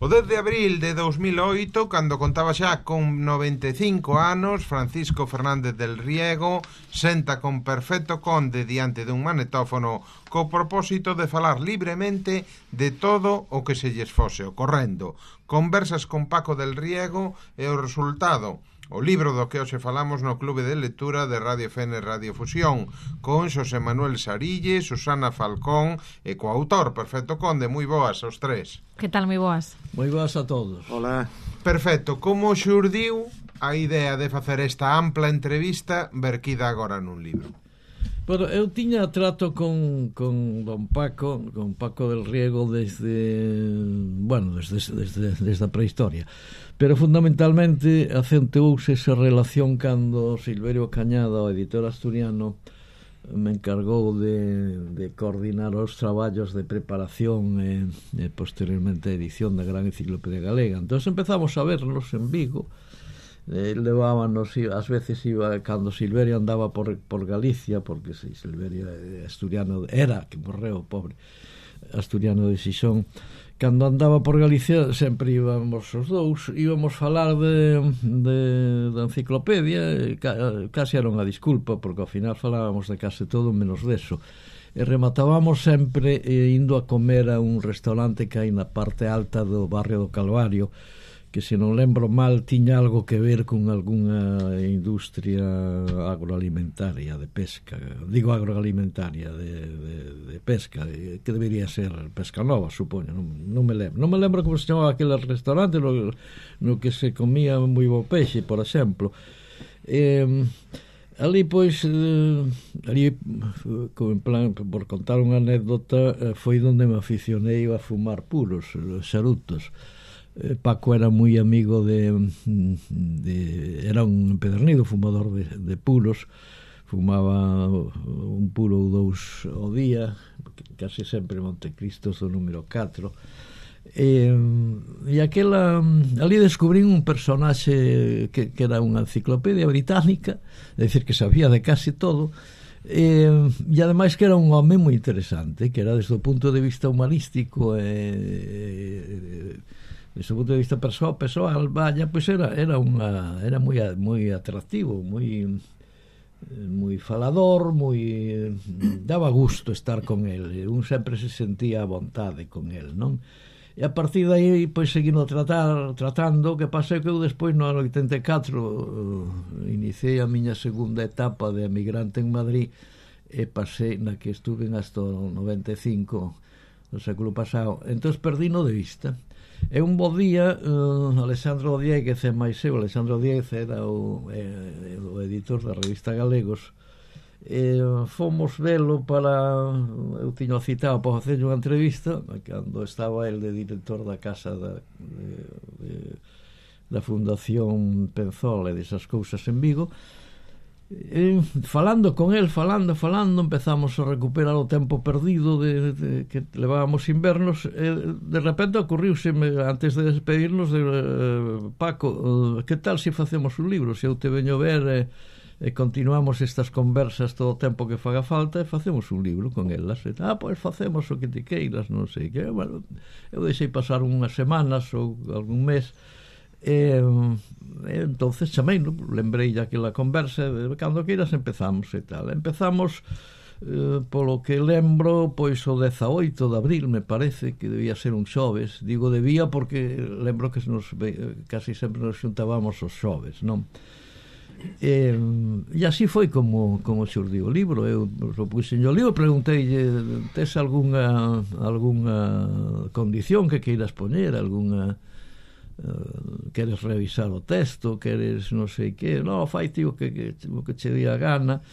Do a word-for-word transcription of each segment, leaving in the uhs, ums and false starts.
O dez de abril de dous mil oito, cando contaba xa con noventa e cinco anos, Francisco Fernández del Riego senta con Perfecto Conde diante dun manetófono co propósito de falar libremente de todo o que se lles fose ocorrendo. Conversas con Paco del Riego e o resultado, o libro do que hoxe falamos no Clube de Lectura de Radio F N Radio Fusión, con Xosé Manuel Sarille, Susana Falcón e co autor Perfecto Conde. Moi boas aos tres. Que tal, moi boas? Moi boas a todos. Hola. Perfecto, como xurdiu a idea de facer esta ampla entrevista verquida agora nun libro? Bueno, eu tiña trato con, con don Paco, con Paco del Riego desde, bueno, desde, desde, desde a prehistoria. Pero fundamentalmente acentuouse esa relación cando Silverio Cañada, o editor asturiano, me encargou de, de coordinar os traballos de preparación e, e posteriormente a edición da Gran Enciclopedia Galega. Entón empezamos a vernos en Vigo. Eh, levábanos, ás veces iba cando Silverio andaba por, por Galicia, porque si Silverio asturiano era, que morreu, pobre, asturiano de Xixón. Cando andaba por Galicia sempre íbamos os dous, íbamos falar de, de, da enciclopedia, e ca, casi era unha disculpa, porque ao final falábamos de case todo menos deso. E rematábamos sempre eh, indo a comer a un restaurante que hai na parte alta do barrio do Calvario, que se non lembro mal tiña algo que ver con algunha industria agroalimentaria de pesca, digo agroalimentaria de, de, de pesca, que debería ser Pesca Nova, supoño, non, non me lembro non me lembro como se chamaba aquele restaurante no, no que se comía moi bo peixe, por exemplo. eh, ali pois eh, ali, en plan, por contar unha anécdota, foi onde me aficionei a fumar puros, charutos. Paco era moi amigo de, de era un empedernido fumador de, de puros, fumaba un puro ou dous ao día, casi sempre Montecristos do número catro. E, e aquela ali descubrín un personaxe que, que era unha enciclopedia británica, é dicir que sabía de casi todo. E, e ademais que era un home moi interesante, que era desde o punto de vista humanístico e, e desde o punto de vista persoal, persoal vaya, pois era era unha era moi moi atractivo, moi moi falador, moi daba gusto estar con el, un sempre se sentía a vontade con el, non? E a partir de aí pois seguindo tratar tratando, que pasei que eu despois no ano oitenta e catro uh, iniciei a miña segunda etapa de emigrante en Madrid e pasei na que estuve hasta o noventa e cinco do século pasado. Entón perdino de vista. É un bo día, uh, Alexandro Dieguez e máis eu, Alexandro Dieguez era o, eh, o editor da revista Galegos, e fomos velo para, eu tiño citado para facer unha entrevista cando estaba el de director da casa da, de, de, da Fundación Penzola e desas cousas en Vigo. E, falando con el, falando, falando, empezamos a recuperar o tempo perdido de, de, que levábamos invernos, e de repente ocurriuseme antes de despedirnos de, eh, Paco, eh, que tal se facemos un libro? Se eu te veño ver e, e continuamos estas conversas todo o tempo que faga falta e facemos un libro con elas. E, ah, pois facemos o que te queiras, non sei que. Bueno, eu deixei pasar unhas semanas ou algún mes. E, e entonces chamei, no? Lembrei aquela conversa, cando queiras empezamos e tal. Empezamos eh, polo que lembro, pois o dezaoito de abril, me parece que debía ser un xoves. Digo debía porque lembro que nos, casi sempre nos xuntábamos os xoves, non? E, e así foi como, como xurdiu o libro. Eu o puxen o libro, preguntei, tes algunha algunha condición que queiras poñer, algunha Uh, queres revisar o texto, queres non sei que, non, fai ti o que, que, o que che di a gana.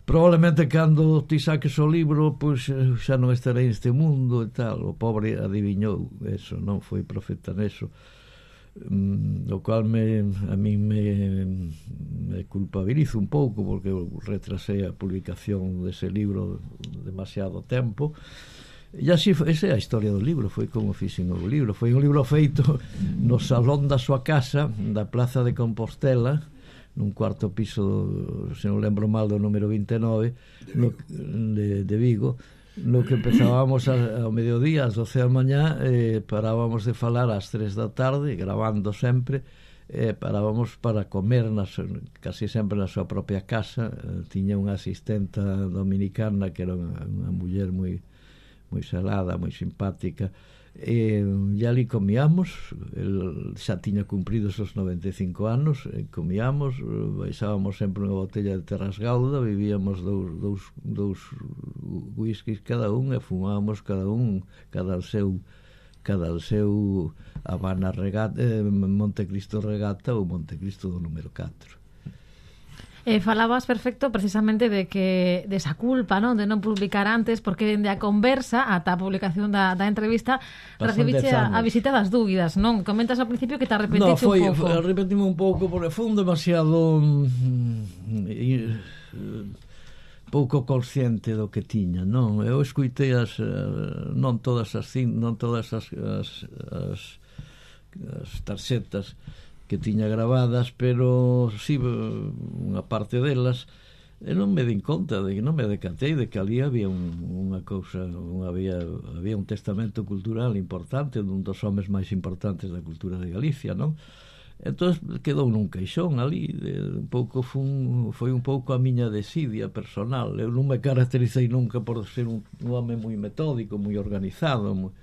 Probablemente cando ti saques o libro pois xa non estarei neste mundo e tal. O pobre adiviñou eso, non foi profeta neso, mm, o cual me, a mí me, me culpabilizo un pouco porque retrasei a publicación dese libro demasiado tempo. E así, esa é a historia do libro, foi como fixen o libro. Foi un libro feito no salón da súa casa, da Plaza de Compostela, nun cuarto piso, se non lembro mal, do número vinte e nove no, de, de Vigo. no que empezábamos a, ao mediodía, ás doce da mañá, eh, parábamos de falar ás tres da tarde, grabando sempre, eh, parábamos para comer nas, casi sempre na súa propia casa. Eh, tiña unha asistenta dominicana que era unha, unha muller moi moi salada, moi simpática, e, e ali comíamos. El xa tiña cumpridos os noventa e cinco anos, e comíamos, baixábamos sempre unha botella de Terras Gauda, vivíamos dous, dous, dous whiskies cada un e fumábamos cada un cada o seu cada o seu Habana Regata, eh, Montecristo Regata ou Montecristo do número catro. Eh, falabas perfecto precisamente de que de esa culpa, non, de non publicar antes, porque dende a conversa ata a publicación da, da entrevista recibiche a, a visita das dúbidas, non? Comentas ao principio que te arrepentiste no, foi, un pouco. No, arrepentime un pouco porque foi un demasiado mm, eh, pouco consciente do que tiña, non? Eu escuitei as uh, non todas as non todas as as, as, as tarxetas que tiña grabadas, pero si sí, unha parte delas, e non me din conta de que non me decatei de que ali había un, unha cousa, un, había, había un testamento cultural importante dun dos homes máis importantes da cultura de Galicia, non? Entón quedou nun queixón ali, de, un pouco fun, foi un pouco a miña desidia personal. Eu non me caractericei nunca por ser un, un home moi metódico, moi organizado, moi,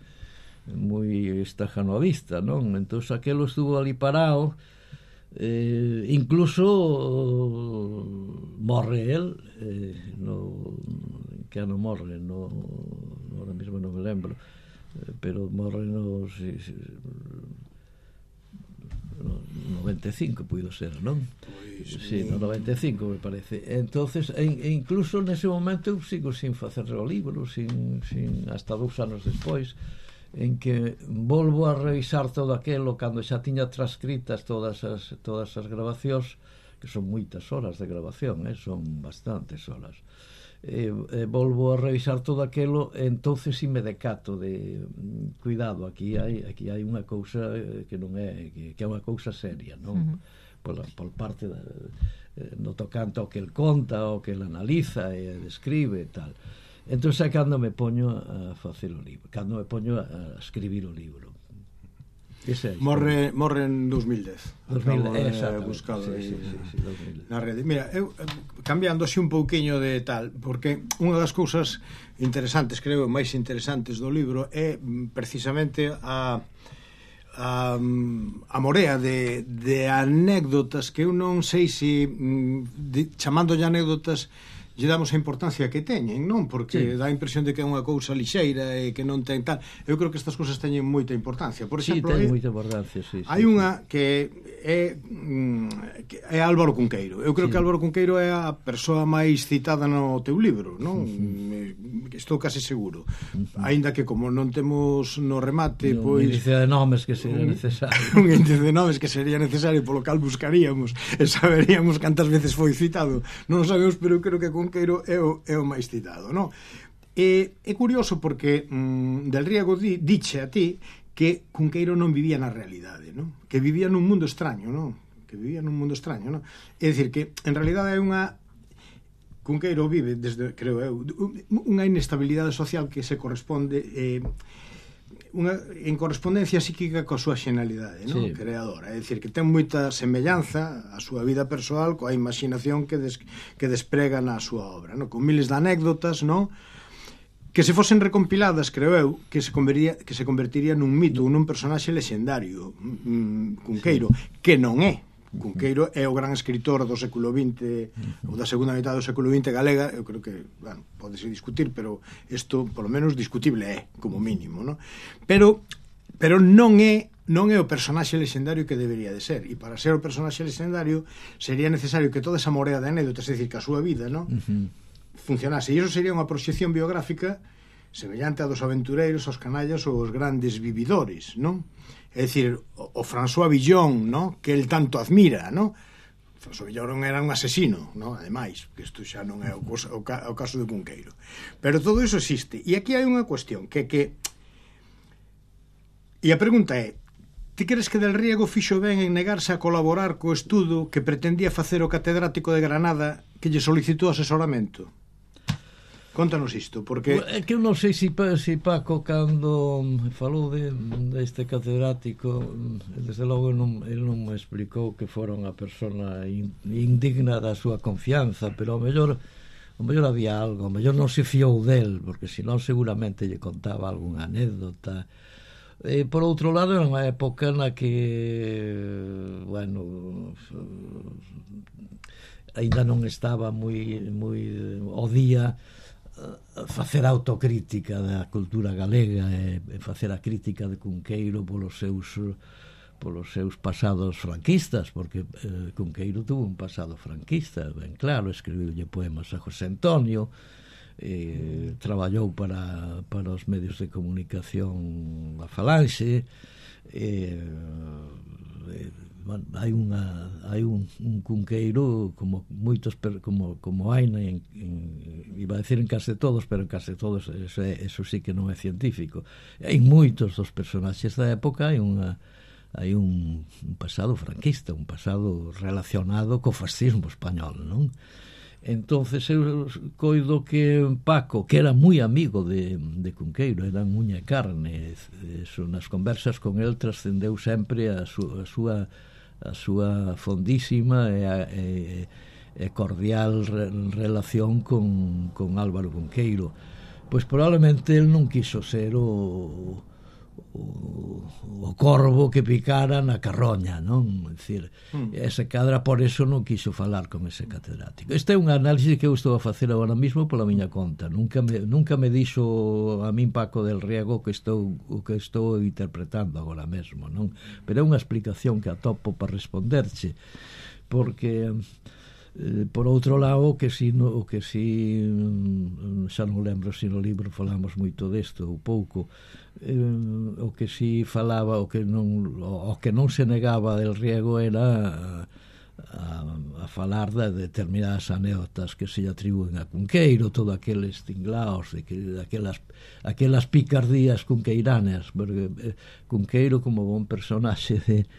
moi estajanovista, non? Entón aquelo estuvo ali parado, eh, incluso morre el, eh, no, que ano morre, no, ahora mesmo non me lembro, eh, pero morre no, si, si, no noventa e cinco puido ser, non? Pois, sí, no noventa e cinco me parece. Entonces, e, e incluso nese momento eu sigo sin facer o libro, sin, sin hasta dous anos despois, en que volvo a revisar todo aquelo cando xa tiña transcritas todas as, todas as grabacións, que son moitas horas de grabación, eh? Son bastantes horas, e, e volvo a revisar todo aquelo, e entonces si me decato de cuidado, aquí hai, aquí hai unha cousa que non é que, que é unha cousa seria, non? Uh-huh. por, por parte da, no tocante ao que el conta, ao que el analiza e describe e tal. Entón é cando me poño a facer o libro, cando me poño a escribir o libro. Ese é morre, morre en dos mil dez. dos mil dez, eh, buscado sí, sí, sí, sí, dos mil dez. Na rede. Mira, eu cambiando así un pouquiño de tal, porque unha das cousas interesantes, creo, máis interesantes do libro é precisamente a a, a morea de, de anécdotas que eu non sei se de, chamándolle anécdotas lle damos a importancia que teñen, non? Porque sí, dá a impresión de que é unha cousa lixeira e que non ten tal. Eu creo que estas cousas teñen moita importancia. Por exemplo, sí, ten moita importancia, sí, hai sí, unha que é que é Álvaro Cunqueiro. Eu creo sí, que Álvaro Cunqueiro é a persoa máis citada no teu libro, non? Uh-huh. Estou casi seguro. Uh-huh. Aínda que como non temos no remate, no, pois un índice de nomes que sería necesario. Un índice de nomes que sería necesario, polo cal buscaríamos e saberíamos cantas veces foi citado. Non o sabemos, pero eu creo que Cunqueiro é o, é o máis citado, non? E é curioso porque mm, Del Riego di, diche a ti que Cunqueiro non vivía na realidade, non? Que vivía nun mundo extraño, non? Que vivía nun mundo extraño, non? É dicir que en realidade é unha Cunqueiro vive desde, creo eu, unha inestabilidade social que se corresponde eh, unha, en correspondencia psíquica coa súa xenalidade, non? Sí. Creadora, é dicir, que ten moita semellanza a súa vida persoal coa imaginación que, des, que desprega na súa obra, non? Con miles de anécdotas, non? Que se fosen recompiladas, creo eu, que se convertiría, que se convertiría nun mito, nun personaxe lexendario, mm, Cunqueiro, sí, que non é. Cunqueiro é o gran escritor do século vinte ou da segunda metade do século vinte galega. Eu creo que, bueno, podese discutir, pero isto, polo menos, discutible é, como mínimo, non? Pero, pero non é non é o personaxe lexendario que debería de ser, e para ser o personaxe lexendario sería necesario que toda esa morea de anécdotas, é dicir, que a súa vida, non? Uh-huh, funcionase, e iso sería unha proxección biográfica semellante a dos aventureiros, aos canallas ou os grandes vividores, non? É dicir, o, o François Villon, no? Que el tanto admira, no? François Villon era un asesino, no? Ademais, que isto xa non é o, cosa, o, ca, o caso de Cunqueiro. Pero todo iso existe. E aquí hai unha cuestión que que e a pregunta é: ti crees que Del Riego fixo ben en negarse a colaborar co estudo que pretendía facer o catedrático de Granada que lle solicitou asesoramento? Contanos isto, porque... É que eu non sei se si, si Paco cando falou de, deste catedrático, desde logo non, ele non me explicou que fora unha persona in, indigna da súa confianza, pero ao mellor ao mellor había algo, ao mellor non se fiou del, porque senón seguramente lle contaba algunha anécdota. E por outro lado era unha época na que bueno, ainda non estaba moi moi ao día facer autocrítica da cultura galega e facer a crítica de Cunqueiro polos seus polos seus pasados franquistas, porque eh, Cunqueiro tuvo un pasado franquista, ben claro, escribiulle poemas a José Antonio, eh, traballou para, para os medios de comunicación a Falanxe, eh, eh, bueno, hai unha hai un, un Cunqueiro como moitos como como hai en, en, iba a decir en case todos, pero en case todos eso, eso sí que non é científico. Hai moitos dos personaxes da época, hai unha hai un, un pasado franquista, un pasado relacionado co fascismo español, non? Entonces eu coido que Paco, que era moi amigo de, de Cunqueiro, eran uña e carne, eso, nas conversas con el trascendeu sempre a, su, a súa a súa fondísima e, e, e cordial re, relación con, con Álvaro Cunqueiro. Pois probablemente el non quiso ser o o, o corvo que picara na carroña, non? É dicir, mm. ese cadra por eso non quiso falar con ese catedrático. Este é un análisis que eu estou a facer agora mesmo pola miña conta. Nunca me, nunca me dixo a min Paco del Riego que estou, o que estou interpretando agora mesmo, non? Pero é unha explicación que atopo para responderche, porque eh, por outro lado, o que si, no, o que si xa non lembro se no libro falamos moito desto ou pouco, eh, o que si falaba, o que non o que non se negaba del Riego era a, a falar de determinadas anécdotas que se lle atribúen a Cunqueiro, todo aqueles tinglaos, de que, aquelas, aquelas picardías cunqueiranas, porque eh, Cunqueiro como bon personaxe de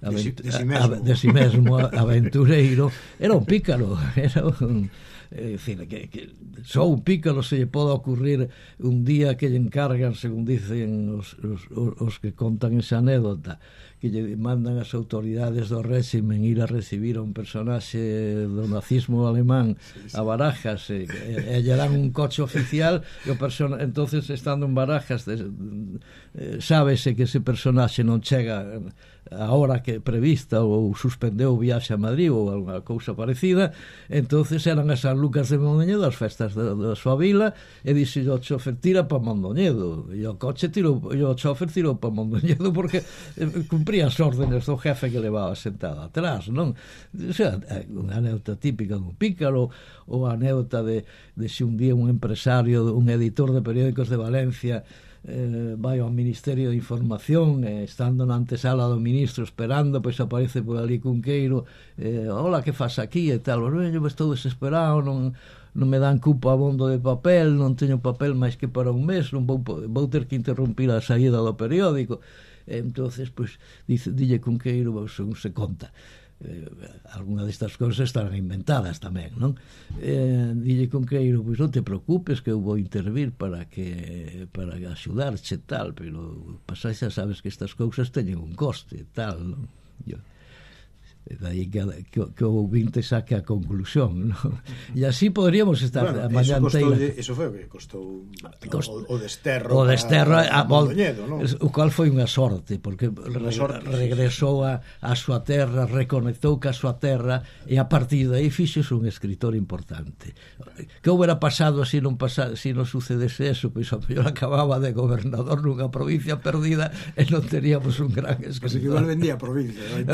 Avent de, si, de, si mesmo. A, de si mesmo aventureiro, era un pícaro, era un, é dicir, que, que só un pícaro se lle pode ocurrir un día que lle encargan, según dicen os, os, os que contan esa anécdota, que lle mandan as autoridades do réximen ir a recibir a un personaxe do nazismo alemán sí, sí. a Barajas e, e, e lle dan un coche oficial e o persona, entonces estando en Barajas de, eh, sábese que ese personaxe non chega a hora que prevista ou suspendeu o viaxe a Madrid ou alguna cousa parecida, entonces eran as San Lucas de Mondoñedo, as festas da, da súa vila, e dixe o chofer tira para Mondoñedo, e o coche tirou, e o chofer tirou para Mondoñedo porque eh, cumpría as órdenes do jefe que levaba sentado atrás, non? O sea, unha anécdota típica dun pícaro, ou a anécdota de, de se un día un empresario, un editor de periódicos de Valencia Eh, vai ao Ministerio de Información eh, estando na antesala do ministro esperando, pois aparece por ali Cunqueiro, eh, hola, que faz aquí e tal, eu estou desesperado, non, non me dan cupo abondo de papel, non teño papel máis que para un mes, non vou, vou ter que interrumpir a saída do periódico. E entonces pois dice, dille Cunqueiro, según se conta, eh, alguna destas cousas estarán inventadas tamén, non? Eh, dille Cunqueiro, pois non te preocupes que eu vou intervir para que para axudarche tal, pero pasai xa sabes que estas cousas teñen un coste tal, non? Yo, daí que, que, que o ouvinte saque a conclusión, ¿no? E así podríamos estar bueno, a mañá inteira. Eso foi o que costou Cost... o, o desterro o desterro a, a, a Mondoñedo, ¿no? O cual foi unha sorte, porque re, sorte, regresou a, a súa terra, reconectou ca súa terra, e a partir de aí fixose un escritor importante. Que houbera pasado se non pasa, se non sucedese eso, pois a mellor acababa de gobernador nunha provincia perdida e non teríamos un gran escritor. Así que igual vendía a provincia, non?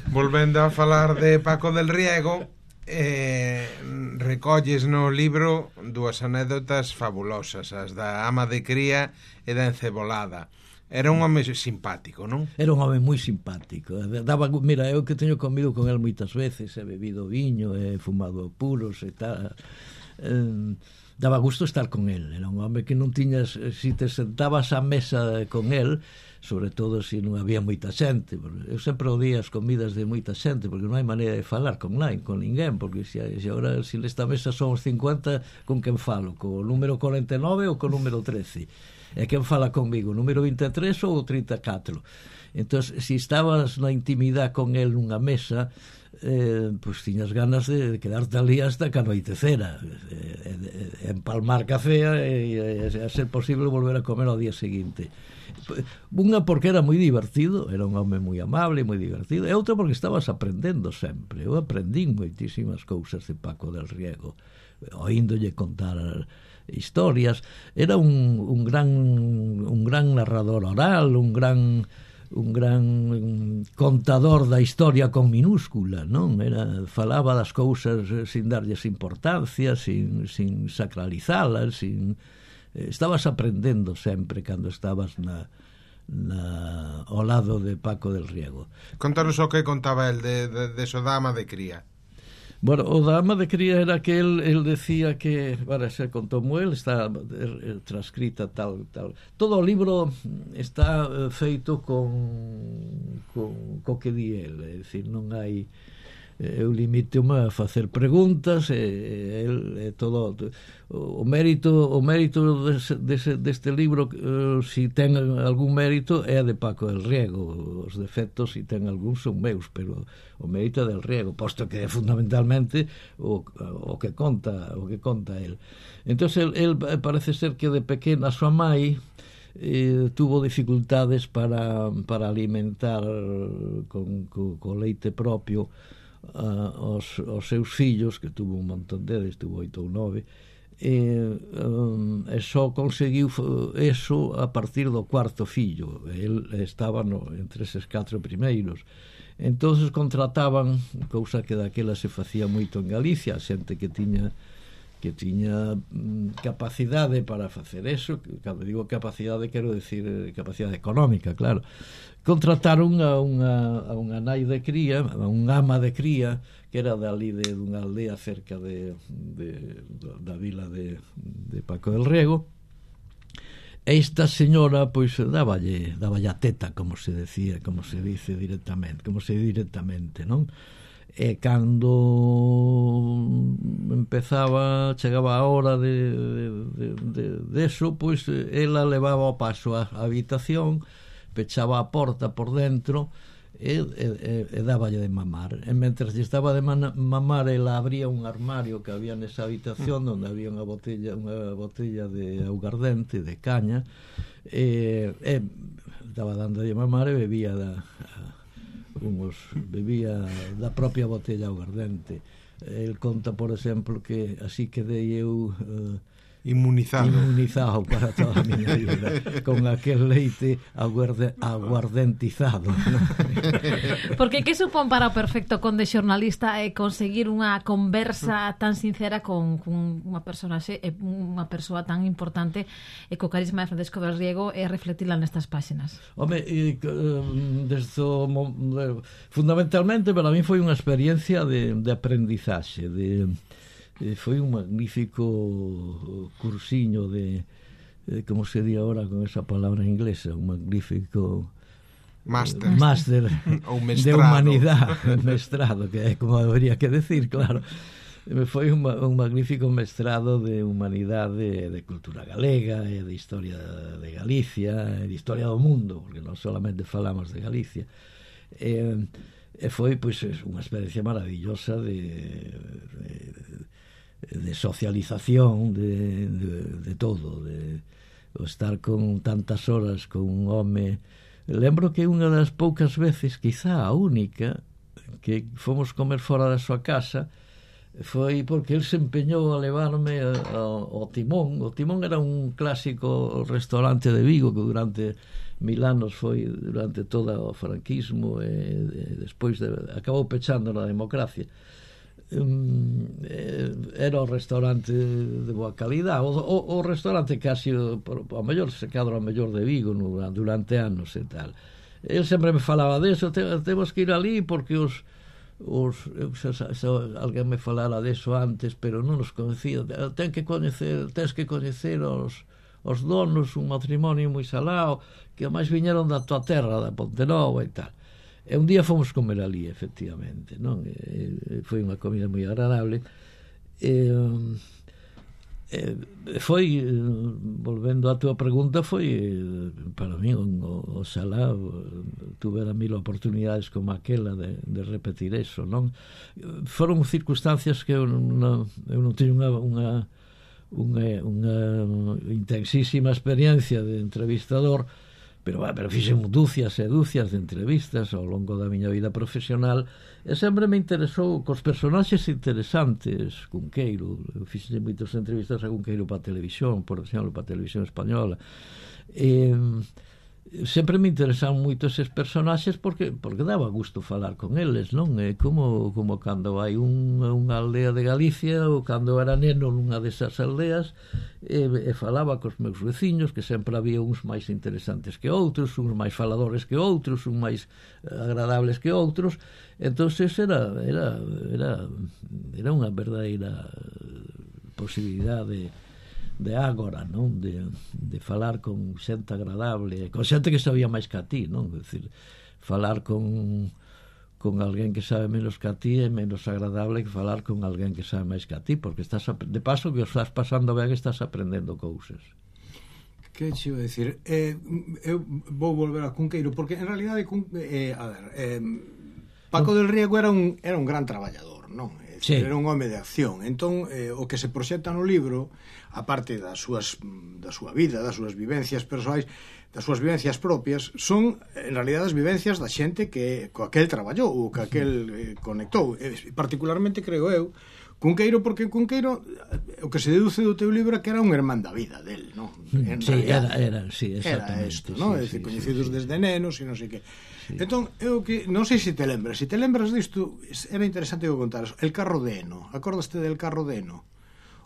Volvendo a falar de Paco del Riego, eh, recolles no libro dúas anécdotas fabulosas, as da ama de cría e da encebolada. Era un home simpático, non? Era un home moi simpático. Daba, mira, eu que teño comido con el moitas veces, he bebido viño, he fumado puros e tal. Eh, daba gusto estar con el. Era un home que non tiñas, si te sentabas á mesa con el, sobre todo se non había moita xente. Eu sempre odiei as comidas de moita xente, porque non hai maneira de falar con nai, con ninguén, porque se, se agora se nesta mesa son os cincuenta, con quen falo? Co número cuarenta e nove ou co número trece? E quen fala comigo? O número vinte e tres ou o trinta e catro? Entón, se estabas na intimidade con el nunha mesa, eh, pois tiñas ganas de, de quedarte ali hasta que anoitecera, eh, eh, empalmar café e, e, a ser posible volver a comer ao día seguinte. Unha porque era moi divertido, era un home moi amable, moi divertido, e outra porque estabas aprendendo sempre. Eu aprendín moitísimas cousas de Paco del Riego, oíndolle contar historias. Era un, un gran un gran narrador oral, un gran un gran contador da historia con minúscula, non? Era, falaba das cousas sin darlles importancia, sin, sin sacralizalas, sin... Estabas aprendendo sempre cando estabas na, na, ao lado de Paco del Riego. Contanos o que contaba el de, de, de so dama de cría. Bueno, o dama de cría era que el, el decía que, para ser con Tomo el, está transcrita tal, tal. Todo o libro está feito con, con co que di el, é dicir, non hai... Eu limito-me a facer preguntas e, e, e todo o mérito o mérito dese, dese, deste libro, eh, si ten algún mérito, é de Paco del Riego. Os defectos, si ten algún, son meus, pero o mérito é del Riego, posto que é fundamentalmente o, o que conta o que conta el. Entón, el, el parece ser que de pequena a súa mai eh, tuvo dificultades para, para alimentar con, con, con leite propio Uh, os, os seus fillos, que tuvo un montón deles, tuvo oito ou nove, e, um, e só conseguiu eso a partir do cuarto fillo. El estaba no, entre eses catro primeiros. Entonces contrataban, cousa que daquela se facía moito en Galicia, a xente que tiña que tiña mm, capacidade para facer eso. Cando digo capacidade, quero decir capacidade económica, claro. Contrataron a unha, a unha nai de cría, a unha ama de cría, que era dali de unha aldea cerca de, de, da vila de, de Paco del Riego. E esta señora, pois, dáballe, dáballe a teta, como se decía, como se dice directamente, como se dice directamente, non? E cando empezaba, chegaba a hora de, de, de, de, de eso, pois ela levaba ao paso a, a habitación, pechaba a porta por dentro e, e, e dáballe de mamar. E mentres lle estaba de mamar, ela abría un armario que había nesa habitación onde había unha botella, unha botella de augardente, de caña, e, e estaba dando de mamar e bebía da... Uns, bebía da propia botella aguardente. El conta, por exemplo, que así quedei eu uh, inmunizado inmunizado para toda a miña vida con aquel leite aguarde, aguardentizado, ¿no? Porque que supón para o perfecto conde xornalista é conseguir unha conversa tan sincera con, con unha personaxe, unha persoa tan importante e co carisma de Francisco del Riego, e reflectila nestas páxinas? Home, e, desde o, fundamentalmente para mí foi unha experiencia de, de aprendizaxe, de foi un magnífico cursiño de, de como se di agora con esa palabra inglesa, un magnífico máster, eh, máster de humanidade, mestrado, que é como debería que decir, claro. Foi un, un magnífico mestrado de humanidade, de cultura galega, e de historia de Galicia, e de historia do mundo, porque non solamente falamos de Galicia. E, e foi, pois, unha experiencia maravillosa de, de de socialización, de, de, de todo, de, de estar con tantas horas con un home. Lembro que unha das poucas veces, quizá a única, que fomos comer fora da súa casa, foi porque el se empeñou a levarme ao Timón. O Timón era un clásico restaurante de Vigo que durante mil anos foi, durante todo o franquismo, e, e despois de, acabou pechando na democracia. Um, era o restaurante de boa calidad, o, o, o restaurante casi o, o mellor se cadra o mellor de Vigo no, durante anos e tal. El sempre me falaba deso, te, temos que ir ali porque os os se, se, se alguén me falara deso antes, pero non os conocía. Ten que coñecer, tens que coñecer os os donos, un matrimonio moi salao, que máis viñeron da tua terra, da Pontenova e tal. E un día fomos comer ali, efectivamente, non? E, foi unha comida moi agradable. E, e foi, volvendo á tua pregunta, foi para mí un, o, oxalá tuvera mil oportunidades como aquela de, de repetir eso, non? Foron circunstancias que eu non, eu non teño unha, unha, unha, unha intensísima experiencia de entrevistador, pero, bah, pero fixen dúcias e dúcias de entrevistas ao longo da miña vida profesional, e sempre me interesou cos personaxes interesantes. Cunqueiro, eu fixen moitas entrevistas a Cunqueiro para a televisión, por exemplo, para a televisión española, e sempre me interesaron moito eses personaxes porque porque daba gusto falar con eles, non? É como, como cando hai un, unha aldea de Galicia, ou cando era neno nunha desas aldeas, e, e falaba cos meus veciños, que sempre había uns máis interesantes que outros, uns máis faladores que outros, uns máis agradables que outros. Entonces era era era era unha verdadeira posibilidade de agora, non? De, de falar con xente agradable, con xente que sabía máis que a ti, non? É dicir, falar con con alguén que sabe menos que a ti é menos agradable que falar con alguén que sabe máis que a ti, porque estás de paso que os estás pasando ben, estás aprendendo cousas. Que che iba a decir? Eh, eu vou volver a Cunqueiro, porque en realidade eh, a ver, eh, Paco del Riego era un, era un gran traballador, non? Sí. Era un home de acción. Entón, eh, o que se proxecta no libro, aparte das súas, da súa vida, das súas vivencias persoais, das súas vivencias propias, son, en realidad, as vivencias da xente que co aquel traballou, ou que aquel eh, conectou. Eh, particularmente, creo eu, Cunqueiro, porque Cunqueiro, o que se deduce do teu libro é que era un irmán da vida del, non? En sí, realidad, era, era, sí, exactamente. Era isto, non? Sí, É dicir, sí, coñecidos sí, desde nenos e non sei que. Sí. Entón, eu que non sei se te lembras, se te lembras disto, era interesante que contaras. El carro de Eno, acordaste del carro de Eno?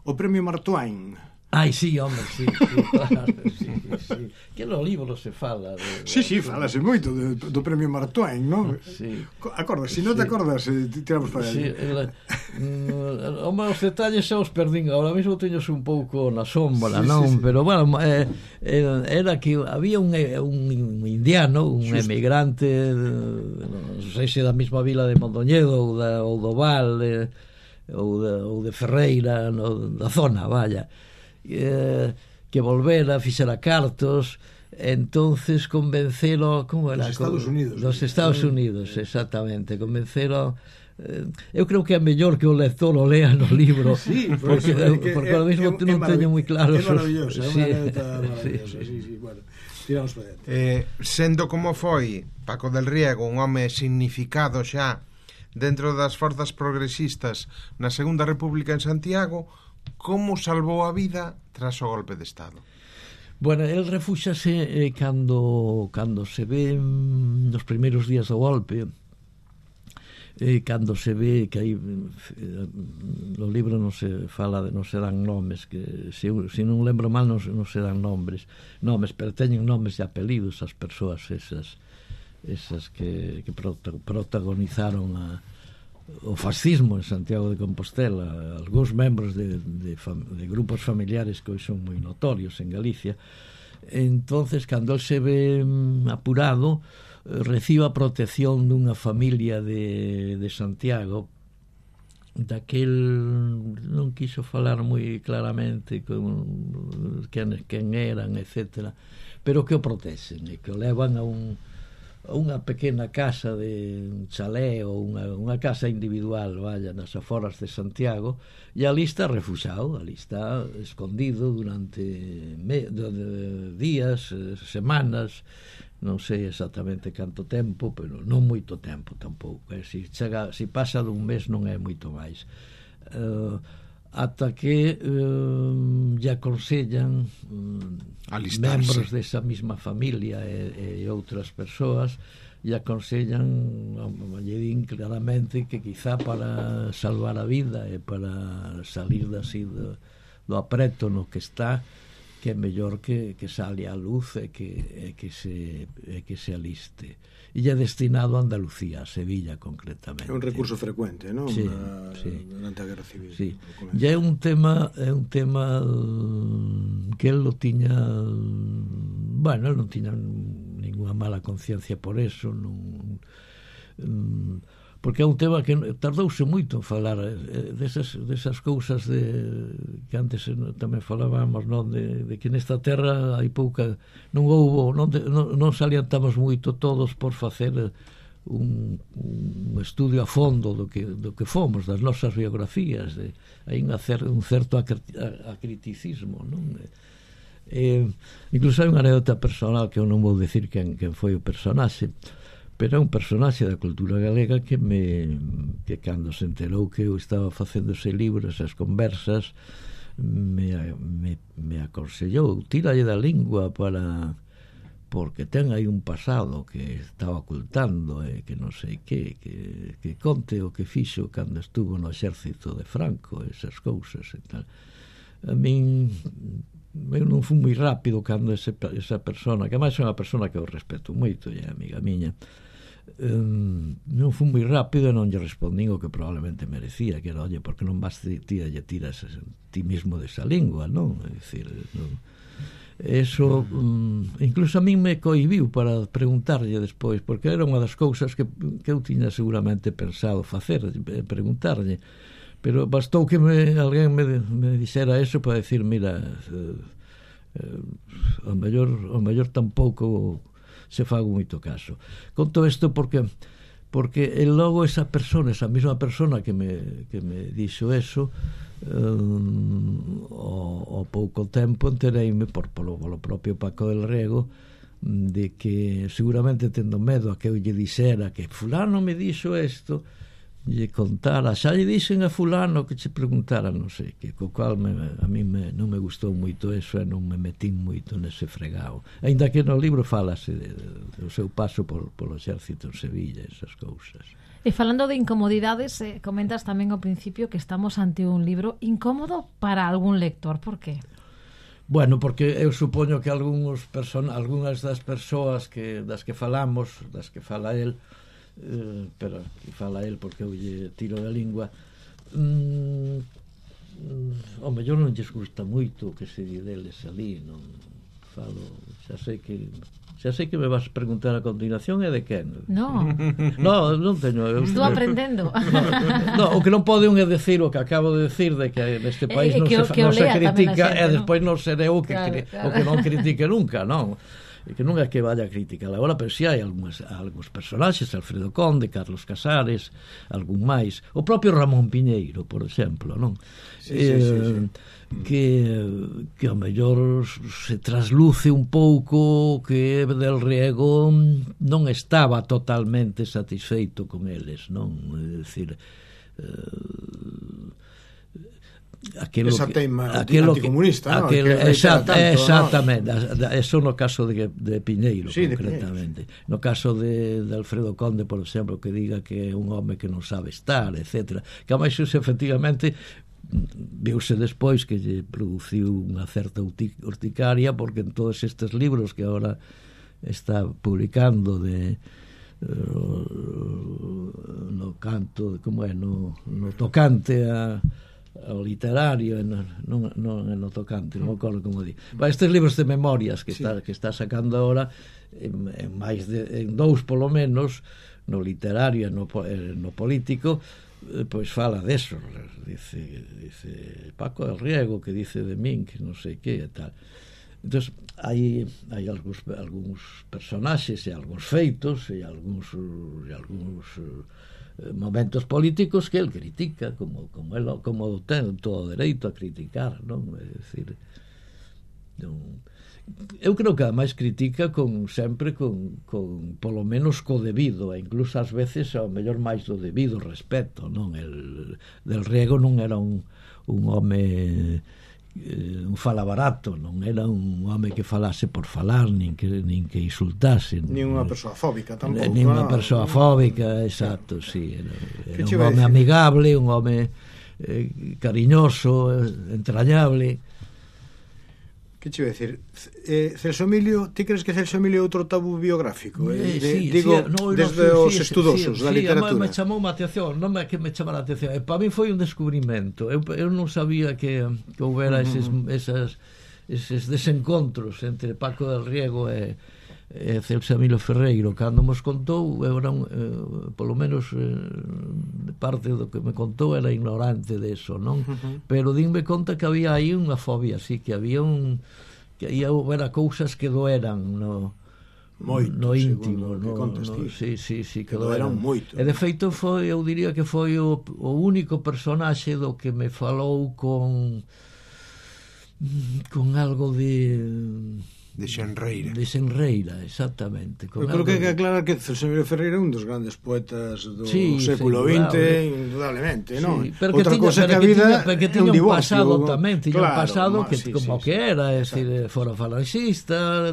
O premio Mark Twain. Ai, sí, home, sí, sí, claro, sí, sí. Que no libro se fala de, de... Sí, sí, falase moito do, do premio Mark Twain, non? Sí. Acordas, se non te acordas, eh, tiramos para sí, aí. El, mm, home, os detalles xa os perdín, ahora mesmo teños un pouco na sombra, sí, non? Sí, sí. Pero, bueno, eh, era que había un, un indiano, un Xusto. emigrante, non sei se da mesma vila de Mondoñedo ou, da, ou do Val, de, ou, de, ou de Ferreira, no, da zona, vaya, Eh, que volvera, fixera cartos, entonces convencelo, como era? Dos Estados Unidos. Dos Estados Unidos, exactamente, convencelo. Eh, eu creo que é mellor que o lector o lea no libro, sí, porque, porque, porque ahora mesmo é, non teño moi claro. É maravilloso, é sí, unha anécdota maravillosa, sí, sí, sí, bueno, tiramos para dentro. Eh, sendo como foi Paco del Riego un home significado xa dentro das forzas progresistas na Segunda República en Santiago, como salvou a vida tras o golpe de Estado? Bueno, el refúxase eh, cando cando se ve mm, nos primeiros días do golpe, eh, cando se ve que hai eh, no libro non se fala de, non se dan nomes, que se, se non lembro mal non, non se dan nombres nomes, pero teñen nomes e apelidos as persoas esas esas que, que protagonizaron a o fascismo en Santiago de Compostela, algúns membros de, de, de grupos familiares que hoxe son moi notorios en Galicia. Entonces, cando el se ve apurado, recibe a protección dunha familia de, de Santiago, daquel non quiso falar moi claramente con quen, quen eran, etcétera, pero que o protexen e que o levan a un unha pequena casa de un chalé ou unha, unha casa individual, vaya, nas aforas de Santiago, e ali está refuxado, ali está escondido durante me, de, de, días, semanas, non sei exactamente canto tempo, pero non moito tempo tampouco, eh? Si, chega, si pasa dun mes non é moito máis. Uh, ata que uh, lle aconsellan um, membros desa mesma familia e, e outras persoas lle aconsellan, lle din claramente que quizá para salvar a vida e para salir así do, do apreto no que está, que é mellor que, que sale a luz e que, e que, se, e que se aliste. E é destinado a Andalucía, a Sevilla concretamente. É un recurso frecuente, non? Sí, Na, sí. Durante a Guerra Civil. Sí. E é un tema, é un tema que el lo tiña, bueno, el non tiña ninguna mala conciencia por eso, non, porque é un tema que tardouse moito en falar desas, desas cousas de, que antes tamén falábamos, non, de, de que nesta terra hai pouca, non houbo, non, de, non, non salientamos moito todos por facer un, un estudio a fondo do que, do que fomos, das nosas biografías, de, hai un, cer, un certo acriticismo, non? Eh, incluso hai unha anécdota personal que eu non vou decir quen, quen foi o personaxe, pero é un personaxe da cultura galega que me que cando se enterou que eu estaba facendo ese libro, esas conversas, me, me, me aconsellou, tíralle da lingua para, porque ten aí un pasado que estaba ocultando e eh, que non sei que, que que conte o que fixo cando estuvo no exército de Franco, esas cousas e tal. A min eu non fui moi rápido cando ese, esa persona, que máis é unha persona que eu respeto moito e é amiga miña, Um, non fui moi rápido e non lle respondín o que probablemente merecía, que era, oye, porque non vas ti lle tiras ti mismo desa lingua, non? É dicir, non. Eso um, incluso a min me cohibiu para preguntarlle despois, porque era unha das cousas que, que eu tiña seguramente pensado facer, preguntarlle, pero bastou que me, alguén me, me dixera eso para decir, mira, eh, eh, o mellor, o mellor tampouco se fago moito caso. Conto isto porque porque e logo esa persona, esa mesma persona que me, que me dixo eso, um, o, o pouco tempo entereime por, polo, polo propio Paco del Riego de que seguramente tendo medo a que eu lle dixera que fulano me dixo isto, lle contara, xa lle dixen a fulano que che preguntara, non sei que, co cual me, a mí me, non me gustou moito eso e non me metín moito nese fregado, ainda que no libro falase de, de, do seu paso por, polo exército en Sevilla, esas cousas. E falando de incomodidades, eh, comentas tamén ao principio que estamos ante un libro incómodo para algún lector, por qué? Bueno, porque eu supoño que algúns person algunhas das persoas que das que falamos, das que fala el, Uh, pero que fala el porque eu lle tiro da lingua, mm, mm, o mellor non lles gusta moito o que se di deles ali, non falo, xa sei que xa sei que me vas preguntar a continuación é de quen. No, no, non teño eu, estou aprendendo. No, no, o que non pode un é decir o que acabo de decir de que neste país eh, non, se, non se critica e despois non seré o que, claro, claro. o que non critique nunca, non? E que non é que vaya a criticar agora, pero si hai algúns, algúns personaxes, Alfredo Conde, Carlos Casares, algún máis, o propio Ramón Piñeiro, por exemplo, non? Sí, eh, sí, sí, sí. Que, que ao mellor se trasluce un pouco que Del Riego non estaba totalmente satisfeito con eles, non? É dicir, eh, aquilo esa tema que, anticomunista, ¿no? Aquel, que exact, tanto, exactamente, ¿no? Eso no caso de, de Piñeiro, sí, concretamente. De no caso de, de Alfredo Conde, por exemplo, que diga que é un home que non sabe estar, etcétera. Que a máis iso, efectivamente, viuse despois que lle produciu unha certa urticaria, porque en todos estes libros que agora está publicando de no canto, como é, no, no tocante a o literario, non, non, non no tocante, non me acordo como di. Estes libros de memorias que, sí, está, que está sacando agora, en, en máis de en dous polo menos, no literario e no, no político, eh, pois fala deso, dice, dice Paco del Riego, que dice de min, que non sei que e tal. Entón, hai, hai algúns, algúns personaxes e algúns feitos e algúns, e algúns momentos políticos que el critica, como como el, como ten todo o dereito a criticar, non? É dicir, non, eu creo que ademais critica con sempre con, con polo menos co debido, e incluso ás veces ao mellor máis do debido respeto, non? El Del Riego non era un un home un fala barato, non era un home que falase por falar, nin que nin que insultase, nin unha persoa fóbica tampouco, nin unha persoa fóbica, exacto, sí, era, era un home amigable, un home eh, cariñoso, entrañable. Que che iba a decir? Eh, Celso Emilio, ti crees que Celso Emilio é outro tabú biográfico? Eh, de, sí, digo, sí, no, desde no, os sí, estudosos sí, da sí, literatura. Me chamou a atención, non é que me chamara a atención. E para mí foi un descubrimento. Eu, eu non sabía que, que houbera eses, esas, eses desencontros entre Paco del Riego e, e Celso Emilio Ferreiro. Cando nos contou, eu era un, eh, polo menos eh, parte do que me contou era ignorante de eso, non? Uh-huh. Pero dinme conta que había aí unha fobia, sí, que había un que aí houbera cousas que doeran no, moito, no íntimo, no, no, sí, sí, sí, que, que doeran moito. E de feito foi, eu diría que foi o, o único personaxe do que me falou con con algo de de xenreira. De xenreira, exactamente. Eu creo que hai que aclarar que Celso Emilio Ferreira é un dos grandes poetas do sí, século vinte, indudablemente, non? Sí, pero outra cousa que a vida é un divorcio. Pasado tamén, tiña claro, un pasado que sí, como sí, que era, é dicir, fora falangista,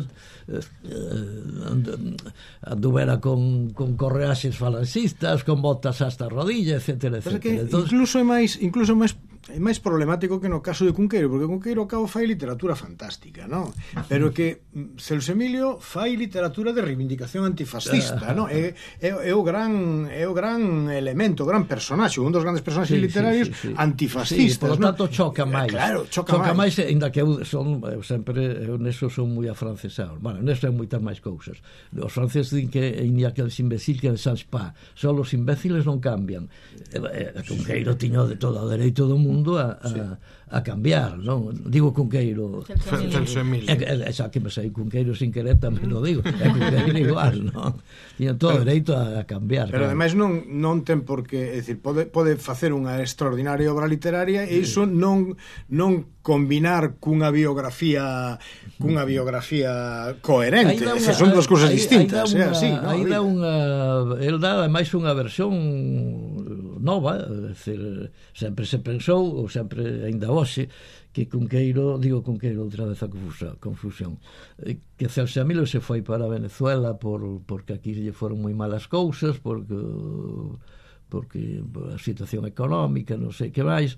anduvera con, con correaxes falangistas, con botas hasta a rodilla, etcétera, etcétera. Entonces, incluso é máis, incluso máis é máis problemático que no caso de Cunqueiro, porque Cunqueiro ao cabo fai literatura fantástica, non? Pero que Celso Emilio fai literatura de reivindicación antifascista, non? É, é, é o gran é o gran elemento, o gran personaxe, un dos grandes personaxes sí, literarios sí, sí, sí. antifascistas, sí, por tanto choca máis. Claro, choca, choca máis, máis ainda que eu son eu sempre eu neso son moi afrancesado. Bueno, neso hai moitas máis cousas. Os franceses din que ainda que os imbéciles que ne change pas, só os imbéciles non cambian. E, e, Cunqueiro tiño de todo o dereito do mundo a, a, sí. a cambiar, non? Digo Cunqueiro Celso Emilio é xa que me sei Cunqueiro sin querer tamén lo digo, é Cunqueiro igual, non? Tiña todo o dereito a, a cambiar, pero claro. Ademais non, non ten por que, é dicir, pode, pode facer unha extraordinaria obra literaria e iso non, non combinar cunha biografía cunha biografía coherente, unha, esas son dúas cousas distintas, é así, non? Aí dá unha, el dá máis unha versión nova, é dicir, sempre se pensou, ou sempre ainda hoxe, que Cunqueiro, digo Cunqueiro outra vez a confusión, confusión que Celso Emilio se foi para Venezuela por, porque aquí lle foron moi malas cousas, porque porque a situación económica, non sei que máis,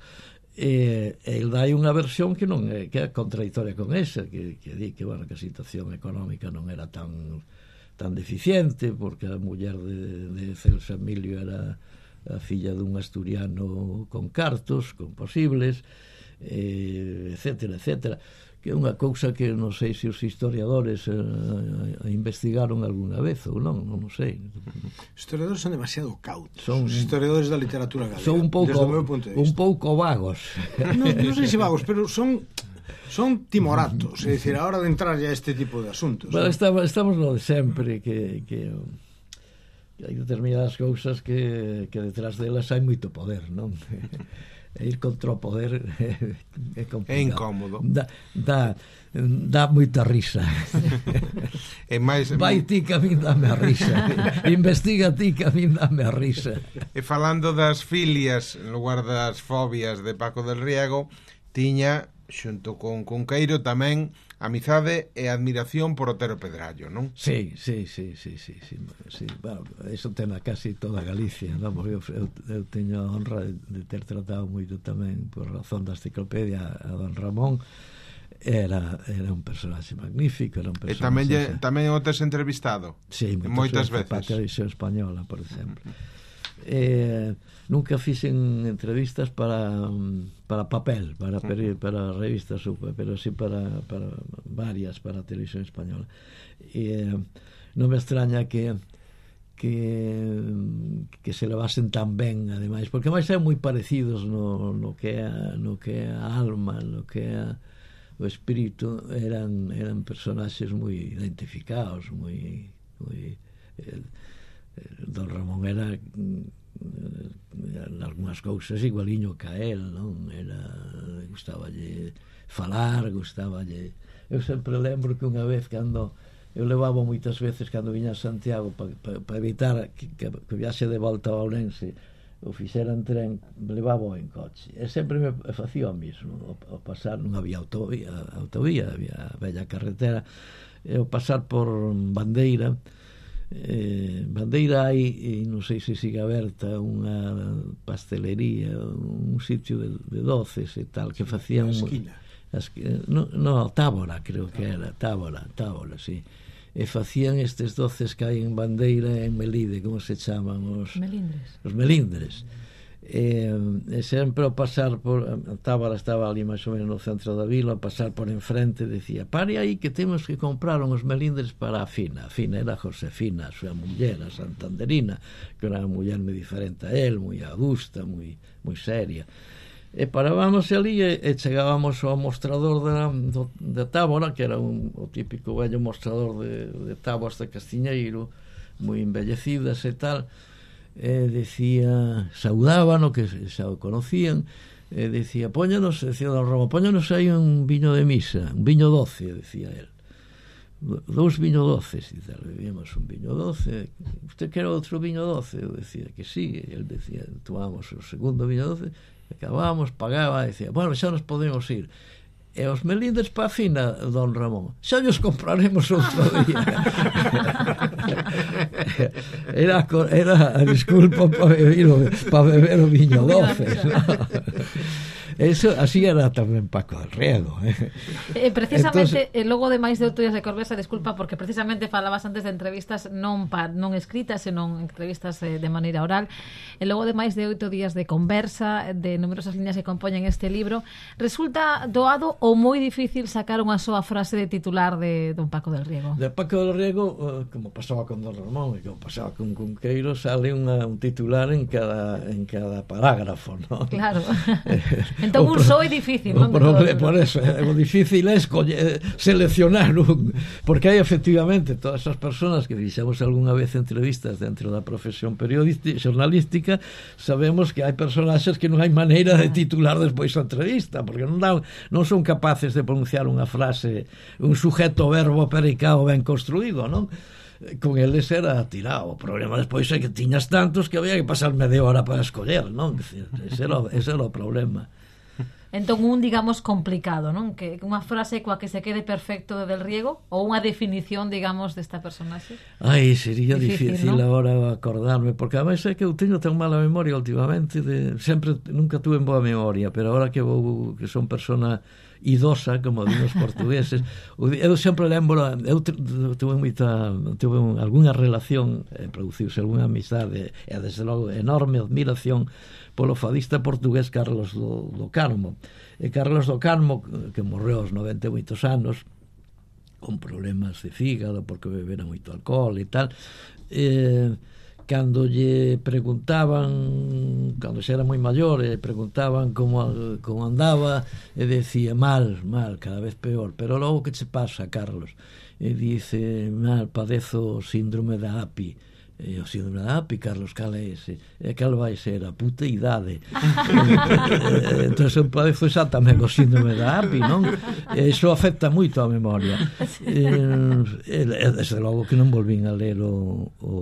e el dai unha versión que non é, que é contradictoria con esa, que, que di que, bueno, que a situación económica non era tan tan deficiente, porque a muller de, de Celso Emilio era a filla dun asturiano con cartos, con posibles, eh, etcétera, etcétera, que é unha cousa que non sei se os historiadores eh, investigaron algunha vez ou non, non sei. Os historiadores son demasiado cautos, son, os historiadores da literatura galega, son un pouco, un pouco vagos. Non, non sei se vagos, pero son son timoratos, é dicir, a hora de entrar ya a este tipo de asuntos. Bueno, estamos, estamos no de sempre, que, que, que hai determinadas cousas que, que detrás delas hai moito poder, non? E ir contra o poder é complicado. É incómodo. Dá, dá, dá moita risa. E máis vai ti que a min dame a risa. Investiga ti que a min dame a risa. E falando das filias en lugar das fobias de Paco del Riego, tiña xunto con Cunqueiro tamén amizade e admiración por Otero Pedrallo, non? Sí, sí, sí, sí, sí, sí, sí. Bueno, eso ten a casi toda Galicia, non? Porque eu, eu, eu teño a honra de, de ter tratado moito tamén por razón da enciclopedia a don Ramón. Era, era un personaxe magnífico, era un personaxe... E tamén, lle, tamén o tes entrevistado? Sí, moitas, moitas veces. Para a televisión española, por exemplo. Eh, nunca fixen entrevistas para para papel, para peri, para revistas, pero sí para, para varias para a televisión española. E eh, non me extraña que que que se levasen tan ben, ademais, porque máis son moi parecidos no, no que é no que é a alma, no que é o espírito, eran eran personaxes moi identificados, moi moi eh, don Ramón era en algunhas cousas igualiño que a él, non? Era, gustaballe falar, gustaballe... Eu sempre lembro que unha vez cando eu levaba moitas veces cando viña a Santiago para pa, pa evitar que, que, que viaxe de volta a Ourense o fixera en tren, levaba en coche, e sempre me facía o mismo, ao pasar, non había autovía, autovía había a bella carretera, e ao pasar por Bandeira, eh, Bandeira hai, e non sei se sigue aberta, unha pastelería, un sitio de, de doces e tal, que facían na esquina, as que, no, no, Tábora, creo que era, Tábora, Tábora, sí. E facían estes doces que hai en Bandeira e en Melide, como se chaman os melindres. Os melindres. E, e sempre ao pasar por a Tábara estaba ali máis ou menos no centro da vila, ao pasar por enfrente decía, pare aí que temos que comprar uns melindres para a Fina. A Fina era a Josefina, a súa muller, a santanderina, que era unha muller moi diferente a él, moi adusta, moi, moi seria. E parábamos ali e, e chegábamos ao mostrador da, do, de Tábora, que era un, o típico vello mostrador de, de táboas de Castiñeiro, moi embellecidas e tal, e decía, saudábano, que xa o conocían, e decía, póñanos, decía don Romo, póñanos aí un viño de misa, un viño doce, decía él, dous viño doces, e tal, bebíamos un viño doce, usted quer outro viño doce? Eu decía que sí, e él decía, tomamos o segundo viño doce, acabábamos, pagaba, e decía, bueno, xa nos podemos ir. E os melindres pa Fina, don Ramón, xa nos compraremos outro día. era, era a disculpa para beber, pa beber o viño doce, ¿no? Eso, así era tamén Paco del Riego, eh? Eh, precisamente, Entonces, e logo de máis de oito días de Corbesa, disculpa, porque precisamente falabas antes de entrevistas non pa, non escritas, senón entrevistas eh, de maneira oral, e logo de máis de oito días de conversa, de numerosas líneas que compoñen este libro, resulta doado ou moi difícil sacar unha soa frase de titular de don Paco del Riego? De Paco del Riego, eh, como pasaba con don Ramón e como pasaba con Cunqueiro, sale unha, un titular en cada, en cada parágrafo, ¿no? Claro. Entón un só é difícil, non? Por, por eso, é o difícil é escoller, seleccionar un, porque hai efectivamente todas as persoas que fixemos algunha vez entrevistas dentro da profesión periodística, xornalística, sabemos que hai personaxes que non hai maneira de titular despois a entrevista, porque non, dan, non son capaces de pronunciar unha frase, un sujeto verbo pericado ben construído, non? Con eles era tirado. O problema despois é que tiñas tantos que había que pasar media hora para escoller, non? Ese era, ese era o problema. Entón un, digamos, complicado, non? Que unha frase coa que se quede perfecto de Del Riego ou unha definición, digamos, desta personaxe? Ai, sería difícil, difícil ¿no? Agora acordarme, porque ademais é que eu teño tan mala memoria últimamente, de, sempre, nunca tuve boa memoria, pero agora que vou, que son persona idosa, como din os portugueses, eu sempre lembro, eu tuve moita, tuve algunha relación, eh, produciuse algunha amizade, e desde logo enorme admiración polo fadista portugués Carlos do, do Carmo. E Carlos do Carmo, que morreu aos noventa e moitos anos, con problemas de fígado, porque bebera moito alcohol e tal, eh, cando lle preguntaban, cando xa era moi maior, e preguntaban como, como andaba, e decía, mal, mal, cada vez peor, pero logo que che pasa, Carlos? E dice, mal, padezo síndrome da A P I. E o síndrome da A P I, Carlos, cal é ese? E cal vai ser? A puta idade. Entón, eu padezo xa tamén o síndrome da A P I, non? E iso afecta moito a memoria. E, e desde logo que non volvín a ler o, o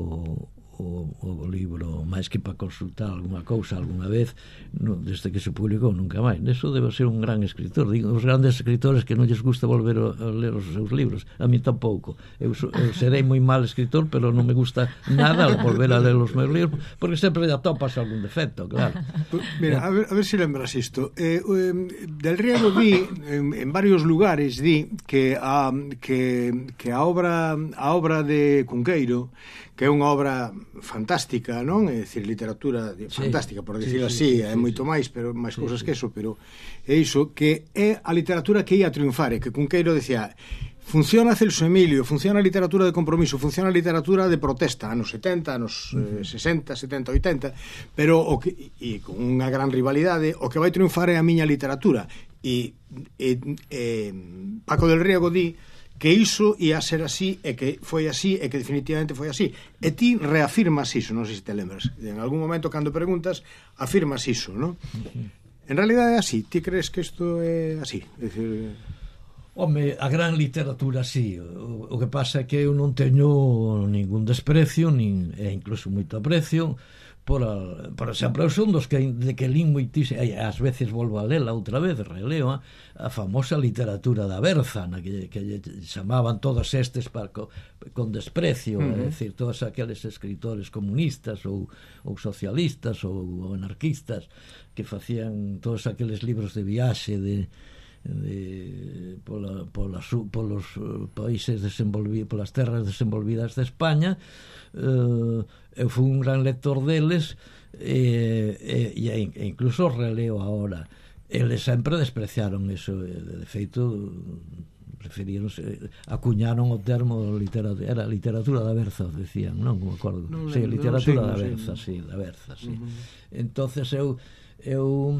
O, o libro, máis que para consultar alguna cousa algunha vez, no, desde que se publicou nunca máis. Eso debe ser un gran escritor. Digo, os grandes escritores que non lles gusta volver a, a ler os seus libros, a mí tampouco. Eu, so, eu serei moi mal escritor, pero non me gusta nada volver a ler os meus libros, porque sempre ya topas algún defecto, claro. Mira, a ver, a ver se lembras isto. Eh, eh, Del Riego di en, en varios lugares di que a que que a obra a obra de Cunqueiro, que é unha obra fantástica, non? É dicir, literatura de, sí, fantástica, por decirlo sí, así, sí, sí, é moito sí, máis, pero máis sí, cousas sí, que eso, pero é iso, que é a literatura que ia a triunfar, e que Cunqueiro decía, funciona Celso Emilio, funciona a literatura de compromiso, funciona a literatura de protesta, anos setenta, anos uh -huh. eh, sesenta, setenta, oitenta, pero o que, e con unha gran rivalidade, o que vai triunfar é a miña literatura, e, e, e Paco del Riego di que iso ia ser así, e que foi así, e que definitivamente foi así. E ti reafirmas iso, non sei se te lembras. En algún momento, cando preguntas, afirmas iso, non? En realidade é así. Ti crees que isto é así? É dicir... Home, a gran literatura sí. O, o que pasa é que eu non teño ningún desprecio, nin, e incluso moito aprecio por, a, por exemplo, eu son dos que, de que lín moitísimo, e ás veces volvo a lela outra vez, releo a, a famosa literatura da Berza, na que, que lle chamaban todos estes para, con, con desprecio, uh -huh. é dicir, todos aqueles escritores comunistas ou, ou socialistas ou, ou anarquistas que facían todos aqueles libros de viaxe de de pola, pola, polos países desenvolvidos, polas terras desenvolvidas de España. Uh, eu fui un gran lector deles, e, e, e incluso releo ahora. Eles sempre despreciaron eso, de feito preferían, acuñaron o termo literatura, era literatura da Berza, decían, non me acordo. No, sí, no, literatura no, da sí, Berza, no. sí, da Berza, sí. Uh-huh. Entonces eu eu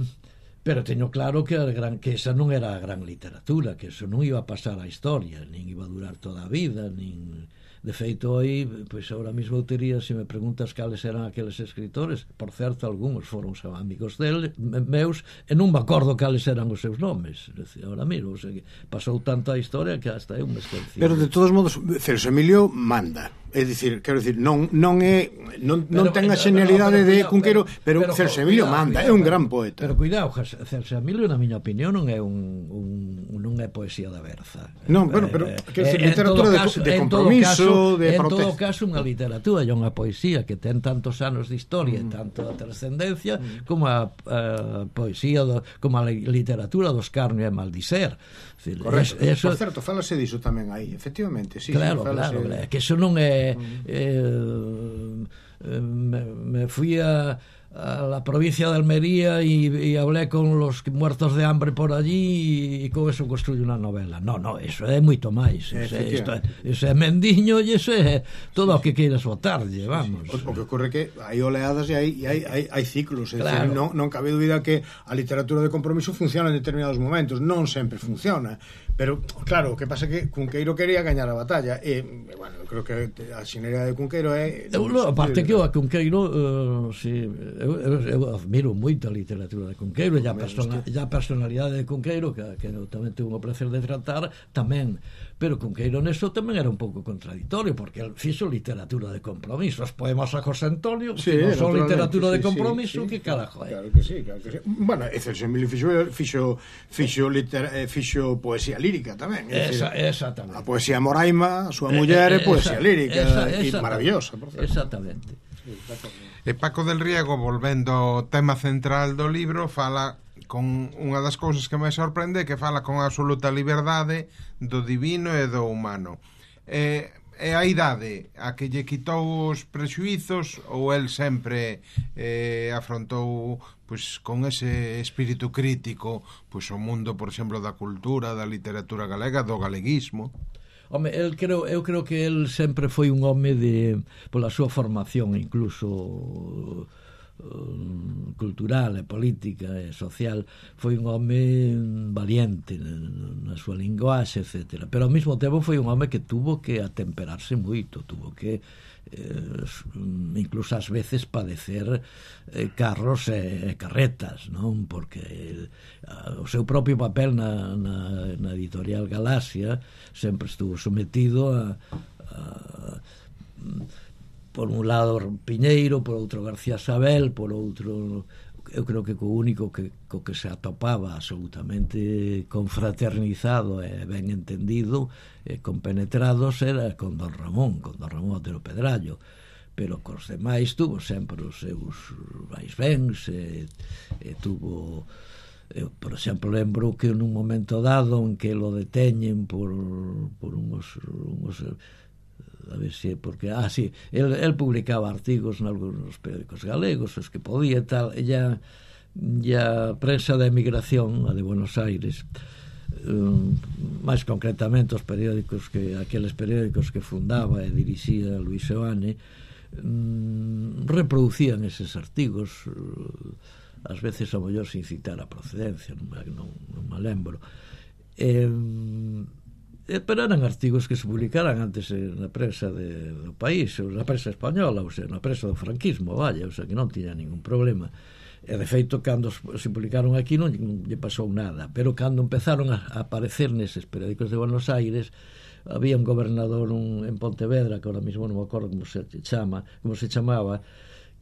pero teño claro que a gran que esa non era a gran literatura, que eso non iba a pasar á historia, nin iba a durar toda a vida, nin de feito aí, pois agora mesmo eu tería, se me preguntas cales eran aqueles escritores, por certo, algúns foron amigos deles, meus, e non me acordo cales eran os seus nomes, agora mesmo, o sea, pasou tanto a historia que hasta eu me esqueci. Pero de todos modos, Celso Emilio manda. É dicir, quero dicir, non non é non, non ten a xenialidade de Cunqueiro, pero, pero Celso Emilio manda, é un gran poeta. Pero cuidado, Celso Emilio, na miña opinión, non é un, un non é poesía da Berza. Non, bueno, pero quero dicir, literatura de, de compromiso, de protesta. En todo caso, unha literatura e unha poesía que ten tantos anos de historia e mm. tanto a trascendencia mm. como a, a poesía do, como a literatura dos Carnio e Maldiser. Correcto, eso, por certo, fálase diso tamén aí, efectivamente, sí, claro, sí, claro, claro, que eso non é eh, me, me fui a a la provincia de Almería y, y hablé con los muertos de hambre por allí y, y con eso construyo una novela. No, no, eso é moito máis. Eso é mendiño e eso é todo o que queiras botarlle, vamos. Sí, sí. O, o que ocorre que hai oleadas e hai, hai, hai, hai ciclos, é claro. Decir, non, non cabe dúbida que a literatura de compromiso funciona en determinados momentos, non sempre funciona, pero claro, o que pasa é que Cunqueiro quería gañar a batalla e, bueno, eu creo que a xenería de Cunqueiro é... Eu, no, aparte que o a Cunqueiro uh, si, eu, eu, eu admiro moito a literatura de Cunqueiro e a, persona, a personalidade de Cunqueiro que, que eu tamén tuve o placer de tratar tamén, pero Cunqueiro neso tamén era un pouco contradictorio porque el fixo literatura de compromiso, os poemas a José Antonio sí, non son literatura sí, de compromiso sí, sí, que carajo é. Claro que sí, claro que sí. Bueno, e Celso Emilio fixo, fixo, fixo, litera, fixo poesía lírica tamén, é esa, decir, exactamente. A poesía Moraima, a súa muller é poesía lírica esa, esa, e maravillosa, por certo. Exactamente. E Paco del Riego, volvendo ao tema central do libro, fala con unha das cousas que me sorprende, que fala con absoluta liberdade do divino e do humano. E, e a idade a que lle quitou os prexuizos ou el sempre eh, afrontou pois con ese espírito crítico pois o mundo, por exemplo, da cultura, da literatura galega, do galeguismo? Home, el creo, eu creo que el sempre foi un home de pola súa formación incluso um, cultural e política e social, foi un home valiente na súa linguaxe, etcétera. Pero ao mesmo tempo foi un home que tuvo que atemperarse moito, tuvo que eh, incluso ás veces padecer eh, carros e, e carretas, non? Porque el, a, o seu propio papel na, na, na editorial Galaxia sempre estuvo sometido a, a por un lado Piñeiro, por outro García Sabel, por outro eu creo que co único que, co que se atopaba absolutamente confraternizado e ben entendido e compenetrados era con Don Ramón, con Don Ramón Otero Pedrallo, pero cos demais tuvo sempre os seus vaisvéns e, e tuvo eu, por exemplo, lembro que nun momento dado en que lo deteñen por, por uns, uns a ver se, porque, ah, sí, el, el publicaba artigos en algunos periódicos galegos, os que podía e tal, e ya, ya prensa da emigración, a de Buenos Aires, um, máis concretamente os periódicos que, aqueles periódicos que fundaba e dirixía Luis Seoane, um, reproducían eses artigos, uh, ás veces ao mellor sin citar a procedencia, non, non, non me lembro. E, pero eran artigos que se publicaran antes na prensa de, do país, ou na prensa española, ou sea, na prensa do franquismo, vaya, ou sea, que non tiña ningún problema. E de feito, cando se publicaron aquí non lle pasou nada, pero cando empezaron a aparecer neses periódicos de Buenos Aires, había un gobernador un, en Pontevedra, que ahora mismo non me acordo como se chama, como se chamaba,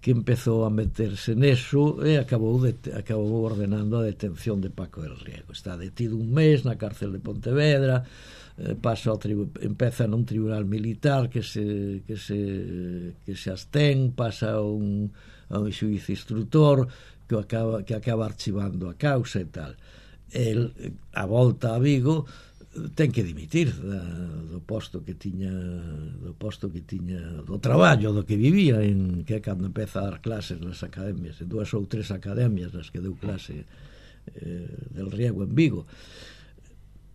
que empezou a meterse neso e acabou, de, acabou ordenando a detención de Paco del Riego. Está detido un mes na cárcel de Pontevedra, eh, pasa ao tribu, empeza nun tribunal militar que se que se que se abstén, pasa a un a un xuíz instructor que acaba que acaba archivando a causa e tal. el, a volta a Vigo, ten que dimitir da, do posto que tiña do posto que tiña do traballo do que vivía, en que cando empeza a dar clases nas academias, en dúas ou tres academias nas que deu clase eh, del Riego en Vigo.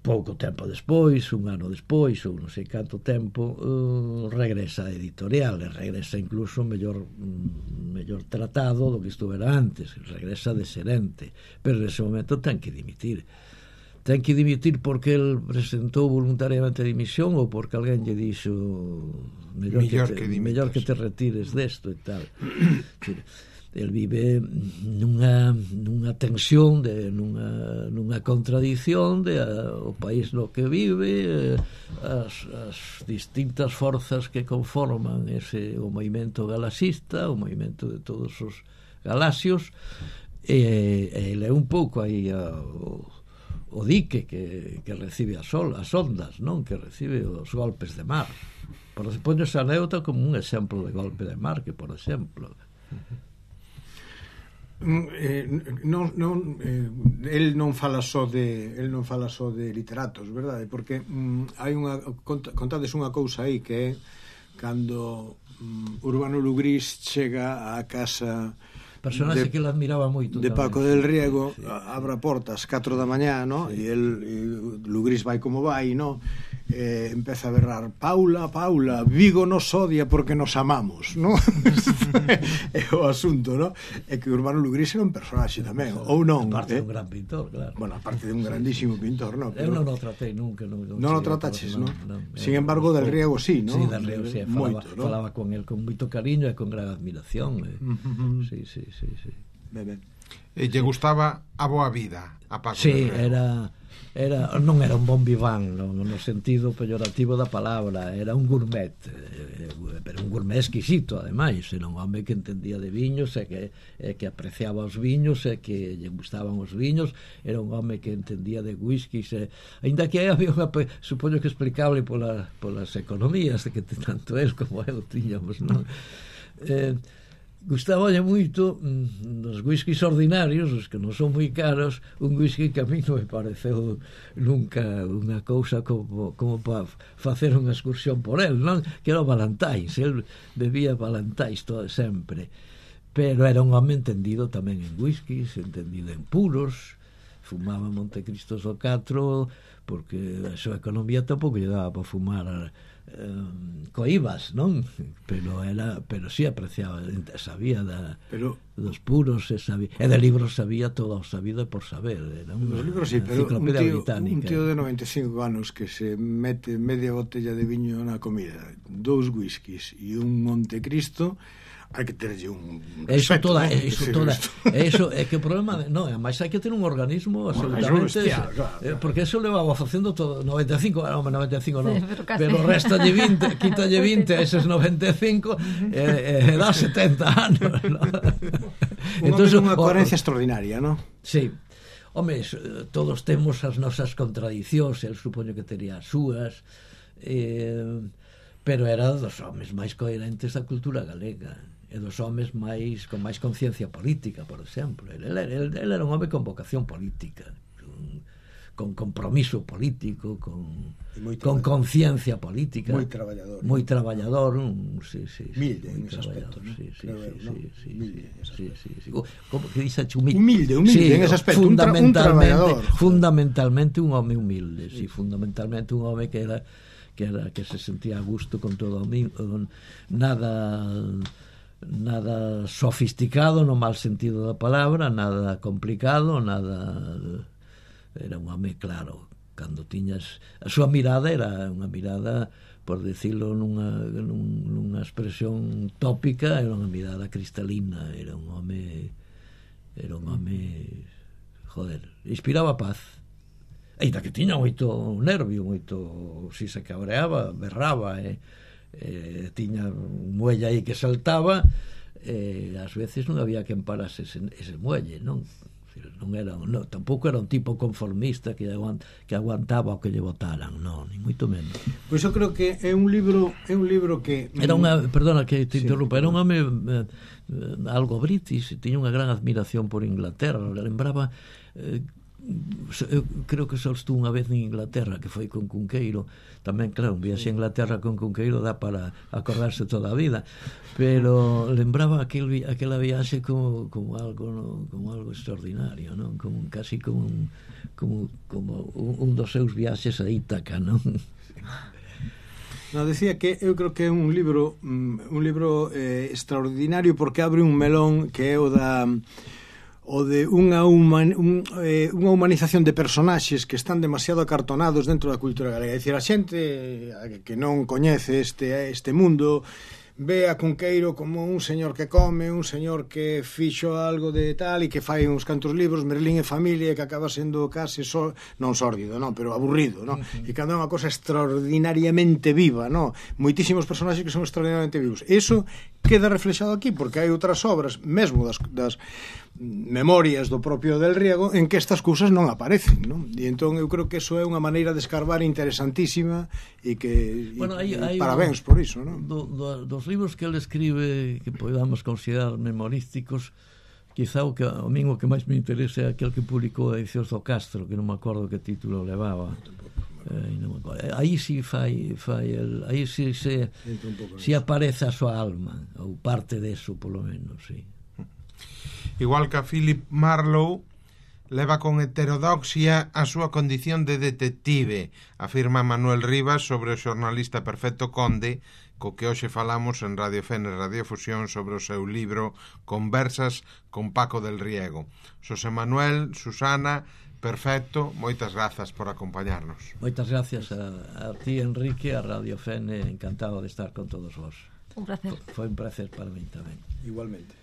Pouco tempo despois, un ano despois ou non sei canto tempo, uh, regresa a editorial, e regresa incluso mellor mm, mellor tratado do que estuvera antes, regresa de xerente, pero nese momento ten que dimitir ten que dimitir porque el presentou voluntariamente a dimisión ou porque alguén lle dixo mellor, mellor, que, te, que mellor que te retires desto e tal. El vive nunha, nunha tensión, de, nunha, nunha contradición de a, o país no que vive, as, as distintas forzas que conforman ese, o movimento galaxista, o movimento de todos os galaxios, e, e ele é un pouco aí a, o, o dique que, que recibe as, sol, as ondas, non? Que recibe os golpes de mar. Por poño esa anécdota como un exemplo de golpe de mar, que por exemplo... Eh, non, non, eh, el non fala só de el non fala só de literatos, verdade? Porque mm, hai unha cont, contades unha cousa aí, que é cando mm, Urbano Lugrís chega á casa personaxe de, que ele admiraba moito de Paco del Riego, sí, sí. Abre a porta ás catro da mañá, no? Sí. E el e Lugrís vai como vai, no? Eh, empeza a berrar: Paula, Paula, Vigo nos odia porque nos amamos, no? É o asunto, no? É que Urbano Lugrís era un personaxe tamén, ou non? Aparte eh? de un gran pintor, claro. Bueno, aparte de un grandísimo pintor, no? Pero... Eu non o tratei nunca. Non, non, non o trataches, no? no? Sin embargo, del Riego sí, no? Sí, del Riego sí, falaba, moito, no? falaba con él con moito cariño e con gran admiración. Eh. Uh-huh. Sí, sí, sí, sí. Ben, ben. E lle gustaba a boa vida a Paco sí, del Riego. era... Era, non era un bon viván no, no sentido peyorativo da palabra, era un gourmet, eh, pero un gourmet exquisito ademais, era un home que entendía de viños e que, eh, que apreciaba os viños e que lle gustaban os viños, era un home que entendía de whiskies, e, ainda que había unha, supoño que explicable pola, polas economías que tanto el como eu tiñamos, non? Eh, gustaballe moito mm, dos whiskies ordinarios, os que non son moi caros, un whisky que a mí non me pareceu nunca unha cousa como, como para facer unha excursión por el, non? Que era o Balantais, el bebía Balantais todo sempre, pero era un home entendido tamén en whiskies, entendido en puros, fumaba Montecristo o catro, porque a súa economía tampouco lle daba para fumar Um, coibas, non? Pero era, pero si sí apreciaba, sabía da, pero, dos puros, e, sabía, e de libros sabía todo o sabido por saber. Era unha libros, sí, pero un tío, un tío de noventa e cinco anos que se mete media botella de viño na comida, dous whiskies e un Montecristo, hai que terlle un respeto, eso toda, ¿no? Eso toda, eso é que o problema, non, además hai que ter un organismo absolutamente, bestial, claro, eh, porque eso levaba facendo todo noventa e cinco, non, noventa e cinco non, sí, pero, pero restalle vinte, quítalle vinte a eses noventa e cinco e eh, eh, dá setenta anos, ¿no? Entonces unha coherencia extraordinaria, ¿no? Sí. Home, todos temos as nosas contradicións, el supoño que tería as súas, eh, pero era dos homes máis coherentes da cultura galega, e dos homes máis con máis conciencia política, por exemplo. El, el, el, el era un home con vocación política, con, con compromiso político, con, con conciencia política, moi traballador, moi traballador, un, sí, sí, humilde en ese aspecto, ¿no? Sí, sí, Creo, sí, ¿no? sí, sí, humilde sí, sí, sí. Como que dice humilde, humilde, humilde sí, en ese aspecto, fundamentalmente, un, tra un fundamentalmente un home humilde, sí, fundamentalmente un home que era que era que se sentía a gusto con todo o nada nada sofisticado no mal sentido da palabra, nada complicado, nada, era un home claro, cando tiñas a súa mirada era unha mirada, por decirlo nunha, nunha expresión tópica, era unha mirada cristalina, era un home era un home joder, inspiraba paz. Ainda que tiña moito nervio, moito, si se cabreaba, berraba, e, e tiña un muelle aí que saltaba, e ás veces non había que parase ese, ese muelle, non? Non era, non, tampouco era un tipo conformista que, aguant, que aguantaba o que lle botaran, non, ni moito menos. Pois eu creo que é un libro, é un libro que era unha, perdona que te interrumpa, sí, era un home eh, algo british, tiña unha gran admiración por Inglaterra, lembraba eh, eu creo que só estou unha vez en Inglaterra, que foi con Cunqueiro. Tamén, claro, un viaxe a Inglaterra con Cunqueiro dá para acordarse toda a vida, pero lembraba aquel, aquela viaxe como, como algo no, como algo extraordinario, non? Como casi como un, como, como un, un dos seus viaxes a Ítaca, non? No, decía que eu creo que é un libro un libro eh, extraordinario porque abre un melón que é o da o de unha, human, un, eh, unha humanización de personaxes que están demasiado acartonados dentro da cultura galega. É dicir, a xente que non coñece este, este mundo ve a Cunqueiro como un señor que come, un señor que fixo algo de tal e que fai uns cantos libros, Merlín e familia, que acaba sendo case so, non sórdido, non, pero aburrido, non? Uh-huh. E cando é unha cosa extraordinariamente viva, non? Moitísimos personaxes que son extraordinariamente vivos. Eso queda reflexado aquí porque hai outras obras, mesmo das, das memorias do propio Del Riego, en que estas cousas non aparecen, non? E entón eu creo que eso é unha maneira de escarbar interesantísima e que bueno, e, hai, hai parabéns un, por iso, non? Do, do, dos libros que ele escribe que podamos considerar memorísticos, quizá o que a mí o que máis me interesa é aquel que publicou a Edicións do Castro, que non me acordo que título levaba. Eh, non me acordo. Aí si fai, fai el, aí si se si aparece a súa alma ou parte deso, polo menos, sí. Igual que a Philip Marlowe, leva con heterodoxia a súa condición de detective, afirma Manuel Rivas sobre o xornalista Perfecto Conde, co que hoxe falamos en Radio Fene Radiofusión sobre o seu libro Conversas con Paco del Riego. Xosé Manuel, Susana, Perfecto, moitas grazas por acompañarnos. Moitas gracias a, a ti, Enrique, a Radio Fene, encantado de estar con todos vos. Un placer. Foi un placer para mí tamén. Igualmente.